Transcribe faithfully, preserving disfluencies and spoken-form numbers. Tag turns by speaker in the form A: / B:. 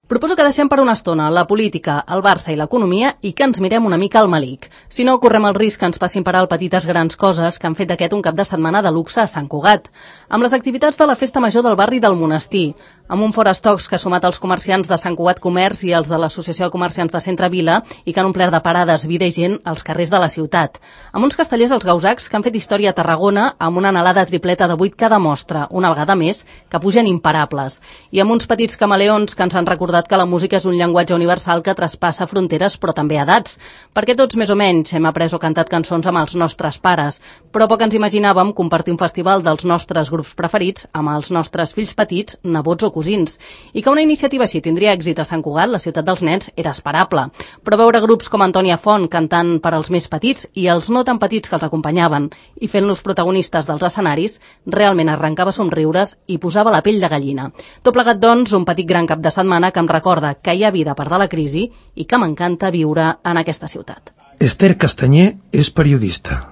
A: Proposo que deixem per una estona la política, el Barça i l'economia i que ens mirem una mica al malic. Si no, correm el risc que ens passin per alt petites grans coses que han fet d'aquest un cap de setmana de luxe a Sant Cugat. Amb les activitats de la Festa Major del barri del Monestir, amb un forestocs que ha sumat els comerciants de Sant Cugat Comerç i els de l'Associació de Comerciants de Centre Vila i que han omplert de parades, vida i gent als carrers de la ciutat. Amb uns castellers als Gausacs que han fet història a Tarragona amb una anhelada tripleta de vuit cada mostra, una vegada més, que pugen imparables. I amb uns petits camaleons que ens han recordat que la música és un llenguatge universal que traspassa fronteres però també edats, perquè tots més o menys hem après o cantat cançons amb els nostres pares, però poc ens imaginàvem compartir un festival dels nostres grups preferits amb els nostres fills petits, nebots o cosins. I que una iniciativa així tindria èxit a Sant Cugat, la ciutat dels nens, era esperable. Però veure grups com Antònia Font cantant per als més petits i els no tan petits que els acompanyaven i fent-los protagonistes dels escenaris, realment arrencava somriures i posava la pell de gallina. Tot plegat, doncs, un petit gran cap de setmana que em recorda que hi ha vida a part de la crisi i que m'encanta viure en aquesta ciutat.
B: Esther Castanyer és periodista.